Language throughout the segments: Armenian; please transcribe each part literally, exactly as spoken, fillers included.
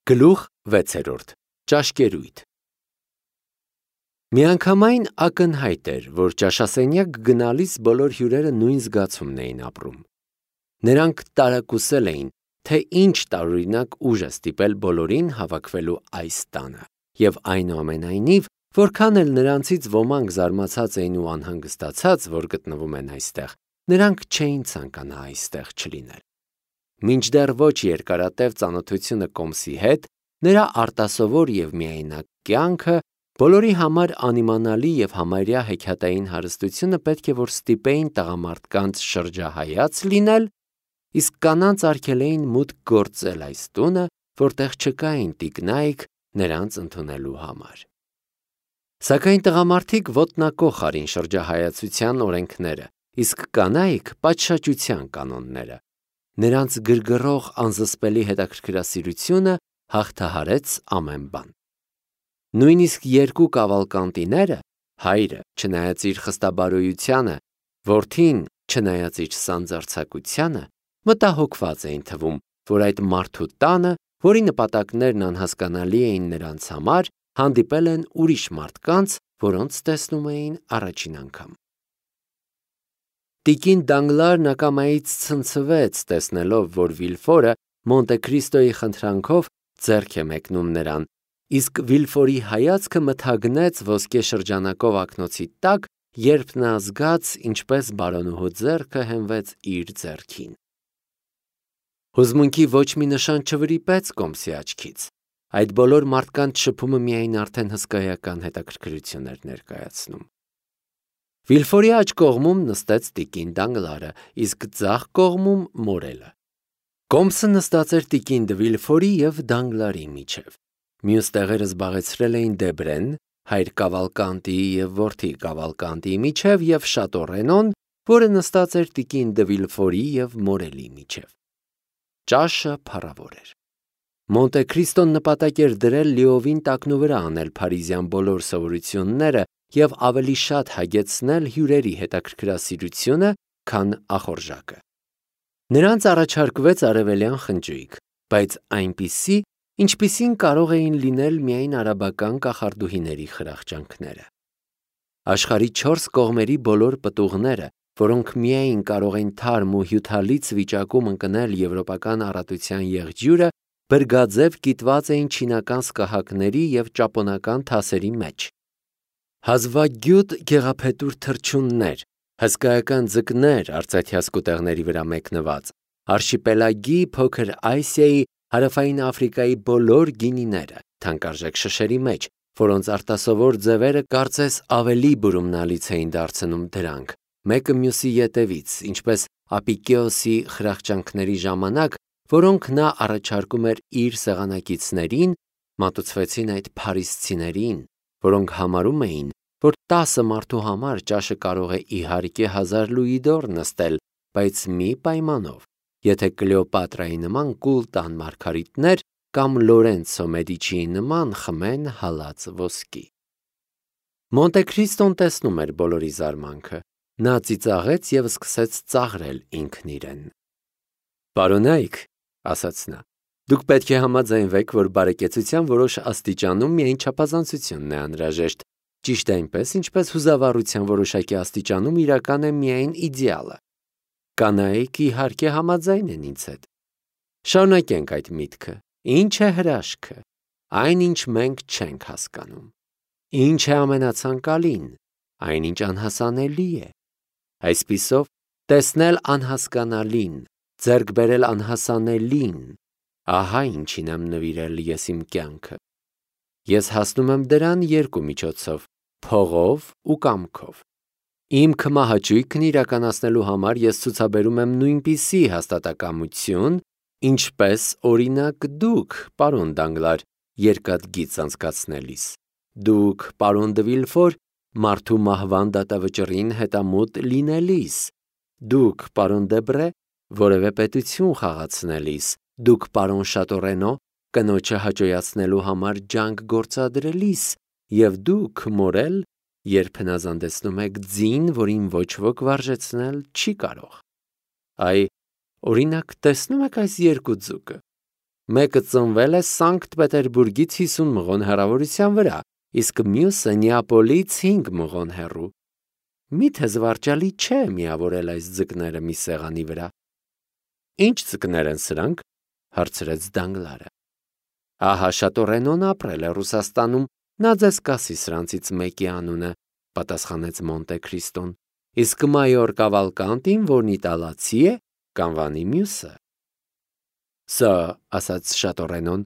Գլուխ վեցերորդ. Ճաշկերույթ։ Միանգամայն ակնհայտ էր, որ ճաշասենյակ գնալիս բոլոր հյուրերը նույն զգացումն էին ապրում։ Նրանք տարակուսել էին, թե ինչ տարօրինակ ուժ է ստիպել բոլորին հավաքվելու այս տանը, և այնուամենայնիվ, որքան էլ նրանցից ոմանք զարմացած էին ու անհանգստացած, որ գտնվում են այստեղ, նրանք չէին ցանկանա այստեղ չլինել։ Մինչդեռ ոչ երկարատև ծանոթությունը Կոմսի հետ, նրա արտասովոր և միայնակ կյանքը, բոլորի համար անիմանալի և համարյա հեքիաթային հարստությունը պետք է որ ստիպեին տղամարդկանց շրջահայաց լինել, իսկ կանանց արգելեին մուտք գործել այս տունը, որտեղ չկային տիկնայք նրանց ընդունելու համար։ Սակայն տղամարդիկ ոտնակոխ արին շրջահայացության օրենքները, իսկ կանայք պատշաճության կանոնները։ Նրանց գրգռող անզսպելի հետաքրքրասիրությունը հաղթահարեց ամեն բան։ Նույնիսկ երկու կավալկանտիները, հայրը, չնայած իր խստաբարոյությանը, որդին, չնայած իր սանձարձակությանը, մտահոգված էին թվում, որ այդ մարդու տանը, որի նպատակներն անհասկանալի էին նրանց համար, հանդիպել են ուրիշ մարդկանց, որոնց տեսնում էին առաջին անգամ։ Տիկին Դանգլարն ակամայից ցնցվեց, տեսնելով, որ Վիլֆորը Մոնտե Քրիստոյի խնդրանքով ձեռք է մեկնում նրան, իսկ Վիլֆորի հայացքը մթագնեց ոսկե շրջանակով ակնոցի տակ, երբ նա զգաց, ինչպես բարոնուհու ձեռքը հենվեց իր ձեռքին։ Հուզմունքի ոչ մի նշան չվրիպեց Կոմսի աչքից։ Այդ բոլոր մարդկանց շփումը միայն արդեն հսկայական հետաքրքրություն էր ներկայացնում։ Վիլֆորի աջ կողմում նստեց տիկին Դանգլարը, իսկ ձախ կողմում մորելը։ Կոմսը նստած էր տիկին Դը Վիլֆորի և Դանգլարի միջև։ Մյուս տեղերը զբաղեցրել էին Դեբրեն, հայր Կավալկանտիի և որդի Կավալկանտիի միջև և Շատո որը նստած էր տիկին Դը Վիլֆորի և մորելի միջև։ Ճաշը փառավոր էր։ Մոնտե Քրիստոն նպատակ էր դրել լիովին տակնուվրա անել փարիզյան բոլոր սովորությունները և ավելի շատ հագեցնել հյուրերի հետաքրքրասիրությունը, քան ախորժակը։ Նրանց առաջարկվեց արևելյան խնջույք, բայց այնպիսի, ինչպիսին կարող էին լինել միայն արաբական կախարդուհիների խրախճանքները։ Աշխարհի չորս կողմերի բոլոր պտուղները, որոնք միայն կարող են թարմ ու հյութալից վիճակում ընկնել եվրոպական առատության եղջյուրը, բրգաձև կիտված էին չինական սկահակների և ճապոնական թասերի մեջ։ Հազվագյուտ գեղափետուր թռչուններ, հսկայական ձկներ արծաթյա սկուտեղների վրա մեկնված, արշիպելագի Փոքր Ասիայի, Հարավային Աֆրիկայի բոլոր գինիները, թանկարժեք շշերի մեջ, որոնց արտասովոր ձևերը կարծես ավելի բուրումնալից էին դարձնում դրանք, մեկը մյուսի ետևից, ինչպես Ապիկեոսի խրախճանքների ժամանակ, որոնք նա առաջարկում էր իր սեղանակիցներին, մատուցվեցին այդ փարիսցիներին, որոնք համարում էին, որ տասը մարդու համար ճաշը կարող է իհարկե հազար լուիդոր նստել, բայց մի պայմանով, եթե Կլեոպատրայի նման կուլ տան մարգարիտներ կամ Լորենցո Մեդիչիի նման խմեն հալած ոսկի։ Մոնտե Քրիստոն տեսնում էր բոլորի զարմանքը, նա ծիծաղեց և սկսեց ծաղրել ինքն իրեն։ «Պարոնայք», ասաց նա, «դուք պետք է համաձայնվեք, որ բարեկեցության որոշ աստիճանում միայն չափազանցությունն է անհրաժեշտ, ճիշտ այնպես, ինչպես հուզավառության որոշակի աստիճանում իրական է միայն իդեալը։ Կանայք իհարկե համաձայն են ինձ հետ։ Շարունակենք այդ միտքը։ Ինչ է հրաշքը, այն, ինչ մենք չենք հասկանում։ Ինչ է ամենացանկալին, այնինչ անհասանելի է։ Այսպիսով, տեսնել անհասկանալին, ձեռք բերել անհասանելին, ահա ինչին եմ նվիրել ես իմ կյանքը։ Ես հասնում եմ դրան երկու միջոցով՝ փողով ու կամքով։ Իմ քմահաճույքն իրականացնելու համար ես ցուցաբերում եմ նույնպիսի հաստատակամություն, ինչպես, օրինակ, դուք, պարոն Դանգլար, երկաթգիծ անցկացնելիս, դուք, պարոն Դը Վիլֆոր, մարդու մահվան դատավճռին հետամուտ լինելիս, դուք, պարոն Դեբրե, որևէ պետություն խաղացնելիս, դուք, պարոն Շատո, կնոջը հաճոյացնելու համար ջանք գործադրելիս, և դուք, մորել, երբ հնազանդեցնում եք ձին, որին ոչ ոք վարժեցնել չի կարող։ Այ, օրինակ, տեսնո՞ւմ եք այս երկու ձուկը։ Մեկը ծնվել է Սանկտ Պետերբուրգից հիսուն մղոն հեռավորության վրա, իսկ մյուսը Նեապոլից հինգ մղոն հեռու։ Միթե զվարճալի չէ միավորել այս ձկները մի սեղանի վրա։ Ինչ ձկներ են սրանք, հարցրեց Դանգլարը։ Ահա Շատորենոն ապրել է Ռուսաստանում, նա ձեզ կասի սրանցից մեկի անունը, պատասխանեց Մոնտե Քրիստոն, իսկ մայոր Կավալկանտին, որն իտալացի է, կանվանի մյուսը։ Սա, ասաց Շատորենոն,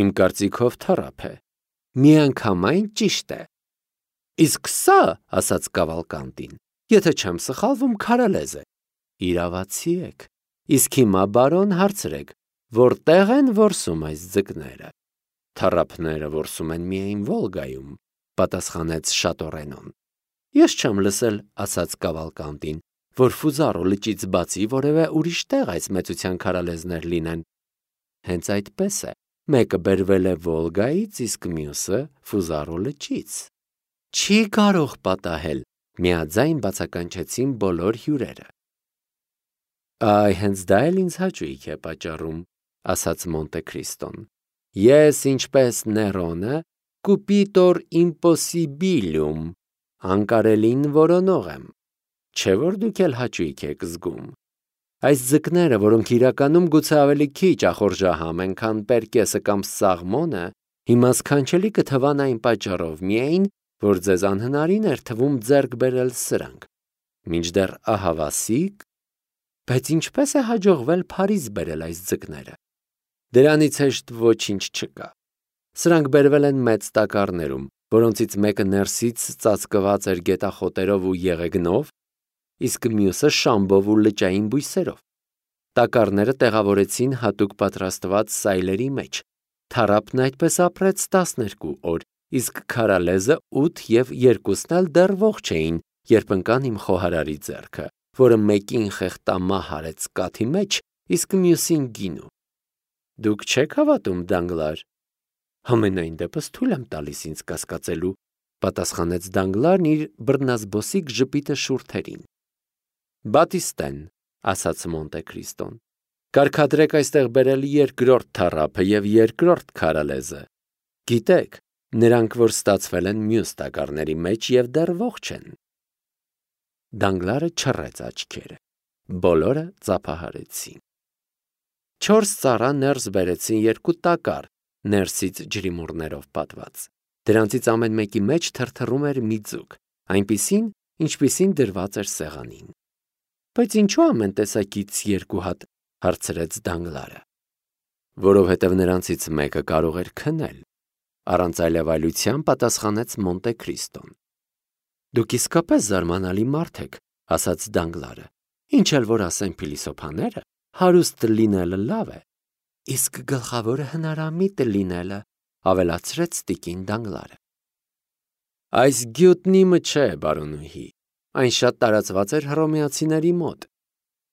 իմ կարծիքով թռապ է, միանգամայն ճիշտ է։ Իսկ սա, ասաց Կավալկանտին, եթե չեմ սխալվում, քարալեզ է։ Իրավացի եք, իսկ հիմա բարոն հարցրեք, որտեղ են որսում այս ձկները։ Թռապները որսում են միայն Վոլգայում, պատասխանեց Շատորենոն։ Ես չեմ լսել, ասաց Կավալկանտին, որ Ֆուզարո լճից բացի որևէ ուրիշ տեղ այս մեծության քարալեզներ լինեն։ Հենց այդպես է, մեկը բերվել է Վոլգայից, իսկ մյուսը Ֆուզարո լճից։ Չի կարող պատահել, միաձայն բացականչեցին բոլոր հյուրերը։ Այ հենց դա էլ ինձ հաճույք է պատճառում, ասաց Մոնտե Քրիստոն։ Ես, ինչպես Ներոնը, կուպիտոր իմպոսիբիլիում, անկարելին որոնող եմ, չէ՞ որ դուք էլ հաճույք եք զգում։ Այս ձկները, որոնք իրականում գուցե ավելի քիչ ախորժահամ են, քան Պերկեսը կամ Սաղմոնը, հիմա սքանչելի կթվան այն պատճառով միայն, որ ձեզ անհնարին էր թվում ձեռք բերել սրանք։ Մինչդեռ ահավասիկ, բայց ինչպես է հաջողվել Փարիզ բերել այս ձկները։ Դրանից հեշտ ոչինչ չկա։ Սրանք բերվել են մեծ տակառներում, որոնցից մեկը ներսից ծածկված էր գետախոտերով ու եղեգնով, իսկ մյուսը շամբով ու լճային բույսերով։ Տակառները տեղավորեցին հատուկ պատրաստված սայլերի մեջ։ Թառափն այդպես ապրեց տասներկու օր, իսկ քարալեզը ութ և երկուսն էլ դեռ ողջ էին, երբ ընկան իմ խոհարարի ձեռքը, որը մեկին խեղտամահ արեց կաթի մեջ, իսկ մյուսին գինու։ Դուք չեք հավատում, Դանգլար։ Համենայն դեպս թույլ եմ տալիս ինձ կասկածելու, պատասխանեց Դանգլարն իր բռնազբոսիկ ժպիտը շուրթերին։ Բատիստեն, ասաց Մոնտե Քրիստոն, կարգադրեք այստեղ բերել երկրորդ թառափը և երկրորդ քարալեզը։ Գիտեք, նրանք, որ ստացվել են մյուս տակառների մեջ և դեռ ողջ են։ Դանգլարը չռեց աչքերը։ Բոլորը ծափահարեցին։ Չորս ծառա ներս բերեցին երկու տակառ, ներսից ջրիմուռներով պատված։ Դրանցից ամեն մեկի մեջ թրթռում էր մի ձուկ, այնպիսին, ինչպիսին դրված էր սեղանին։ Բայց ինչու ամեն տեսակից երկու հատ, հարցրեց Դանգլարը։ Որովհետև նրանցից մեկը կարող էր քնել, առանց այլևայլության պատասխանեց Մոնտե Քրիստոն։ Դուք իսկապես զարմանալի մարդ եք, ասաց Դանգլարը։ Ինչ էլ որ ասեն փիլիսոփաները, հարուստ լինելը լավ է, իսկ գլխավորը հնարամիտ լինելը, ավելացրեց տիկին Դանգլարը։ Այս գյուտնի մը չէ, բարոնուհի, այն շատ տարածված էր հռոմեացիների մոտ։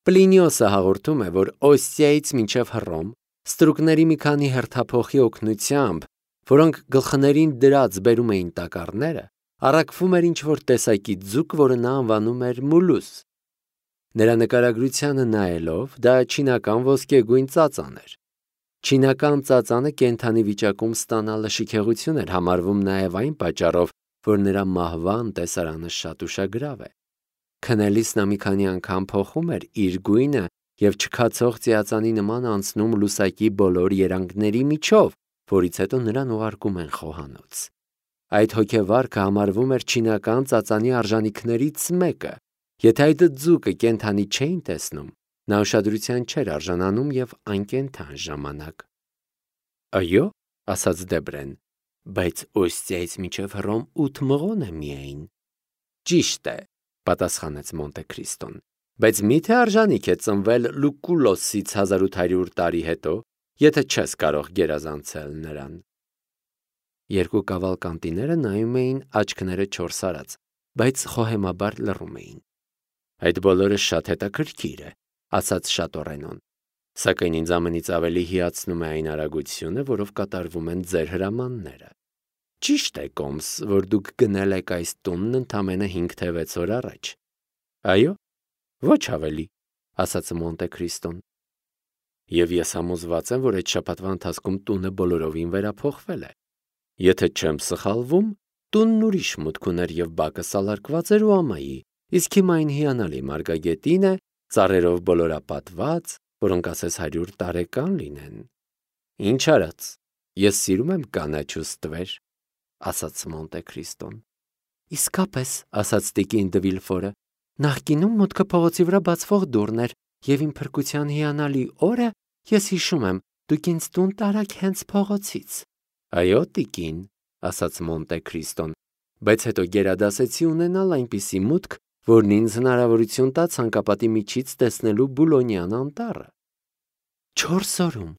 Պլինիոսը հաղորդում է, որ Օստիայից մինչև Հռոմ ստրուկների մի քանի հերթափոխի օգնությամբ, որոնք գլխներին դրած բերում էին տակառները, առաքվում էր ինչ-որ տեսակի ձուկ, որը նա անվանում էր մուլուս։ Նրա նկարագրությանը նայելով, դա չինական ոսկեգույն ծածան էր։ Չինական ծածանը կենդանի վիճակում ստանալը շքեղություն էր համարվում նաև այն պատճառով, որ նրա մահվան տեսարանը շատ ուշագրավ է։ Քնելիս նա մի քանի անգամ փոխում էր իր գույնը և չքացող ծիածանի նման անցնում լուսակի բոլոր երանգների միջով, որից հետո նրան ուղարկում են խոհանոց։ Այդ հոգեվարքը համարվում էր չինական ծածանի արժանիքներից մեկը։ Եթե այդ ձուկը կենդանի չէին տեսնում, նա ուշադրության չէր արժանանում և անկենդան ժամանակ։ Այո, ասաց Դեբրեն, բայց Օստիայից մինչև Հռոմ ութ մղոն է միայն։ Ճիշտ է, պատասխանեց Մոնտե Քրիստոն, բայց միթե արժանիք է ծնվել Լուկուլոսից հազար ութ հարյուր տարի հետո, եթե չես կարող գերազանցել նրան։ Երկու կավալկանտիները նայում էին աչքները չորս արած, բայց խոհեմաբար լռում էին։ Այդ բոլորը շատ հետաքրքիր է, ասաց Շատորենոն, սակայն ինձ ամենից ավելի հիացնում է այն արագությունը, որով կատարվում են ձեր հրամանները։ Ճիշտ է, Կոմս, որ դուք գնել եք այս տունն ընդամենը հինգ թե վեց օր առաջ։ Այո, ոչ ավելի, ասաց Մոնտե Քրիստոն։ Եվ ես համոզված եմ, որ այդ շաբաթվա ընթացքում տունը բոլորովին վերափոխվել է։ Եթե չեմ սխալվում, տունն ուրիշ մուտք ուներ և բակը սալարկված էր ու ամայի, իսկ հիմա այն հիանալի մարգագետին է, ծառերով բոլորապատված, որոնք ասես հարյուր տարեկան լինեն։ Ինչ արած, ես սիրում եմ կանաչ ու ստվեր, ասաց Մոնտե Քրիստոն։ Իսկապես, ասաց տիկին դը Վիլֆորը, նախկինում մուտքը փողոցի վրա բացվող դուռն էր, և իմ փրկության հիանալի օրը ես հիշում եմ, դուք ինձ տուն տարաք հենց փողոցից։ Այո, տիկին, ասաց Մոնտե Քրիստոն, բայց հետո գերադասեցի ունենալ այնպիսի մուտք, որն ինձ հնարավորություն տա ցանկապատի միջից տեսնելու Բուլոնյան անտառը։ Չորս օրում,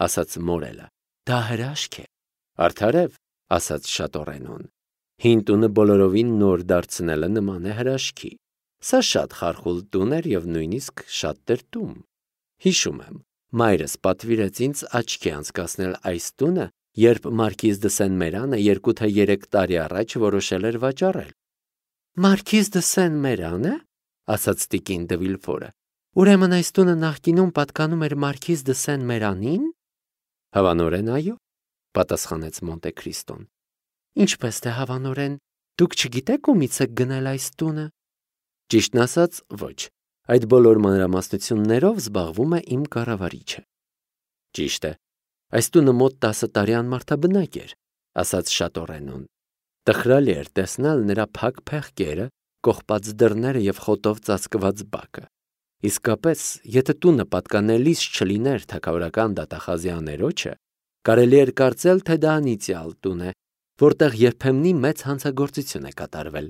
ասաց Մորելը, դա հրաշք է։ Արդարև, ասաց Շատորենոն, հին տունը բոլորովին նոր դարձնելը նման է հրաշքի։ Սա շատ խարխուլ տուն էր և նույնիսկ շատ տրտում։ Հիշում եմ, մայրս պատվիրեց ինձ աչքի անցկացնել այս տունը, երբ մարքիզ դը Սեն-Մերանը երկու թե երեք տարի առաջ որոշել էր վաճառել։ Մարքիզ դը Սեն-Մերանը, ասաց տիկին դը Վիլֆորը, ուրեմն այս տունը նախկինում պատկանում էր մարքիզ դը Սեն-Մերանին։ Հավանորեն այո, պատասխանեց Մոնտե Քրիստոն։ Ինչպես թե հավանորեն, դուք չգիտեք ումից եք գնել այս տունը։ Ճիշտն ասած, ոչ, այդ բոլոր մանրամասնություններով զբաղվում է իմ կառավարիչը։ Ճիշտ է, այս տունը մոտ տասը տարի անմարդաբնակ էր, ասաց Շատորենոն։ Տխրալի էր տեսնել նրա փակ փեղկերը, կողպած դռները և խոտով ծածկված բակը։ Իսկապես, եթե տունը պատկանելիս չլիներ թագավորական դատախազի աներոջը, կարելի էր կարծել, թե դա անիծյալ տուն է, որտեղ երբեմնի մեծ հանցագործություն է կատարվել։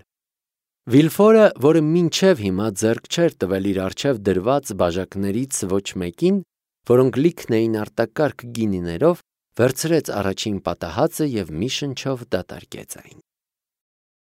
Վիլֆորը, որը մինչև հիմա ձեռք չէր տվել իր առջև դրված բաժակներից ոչ մեկին, որոնք լիքն էին արտակարգ գինիներով, վերցրեց առաջին պատահածը և մի շնչով դատարկեց այն։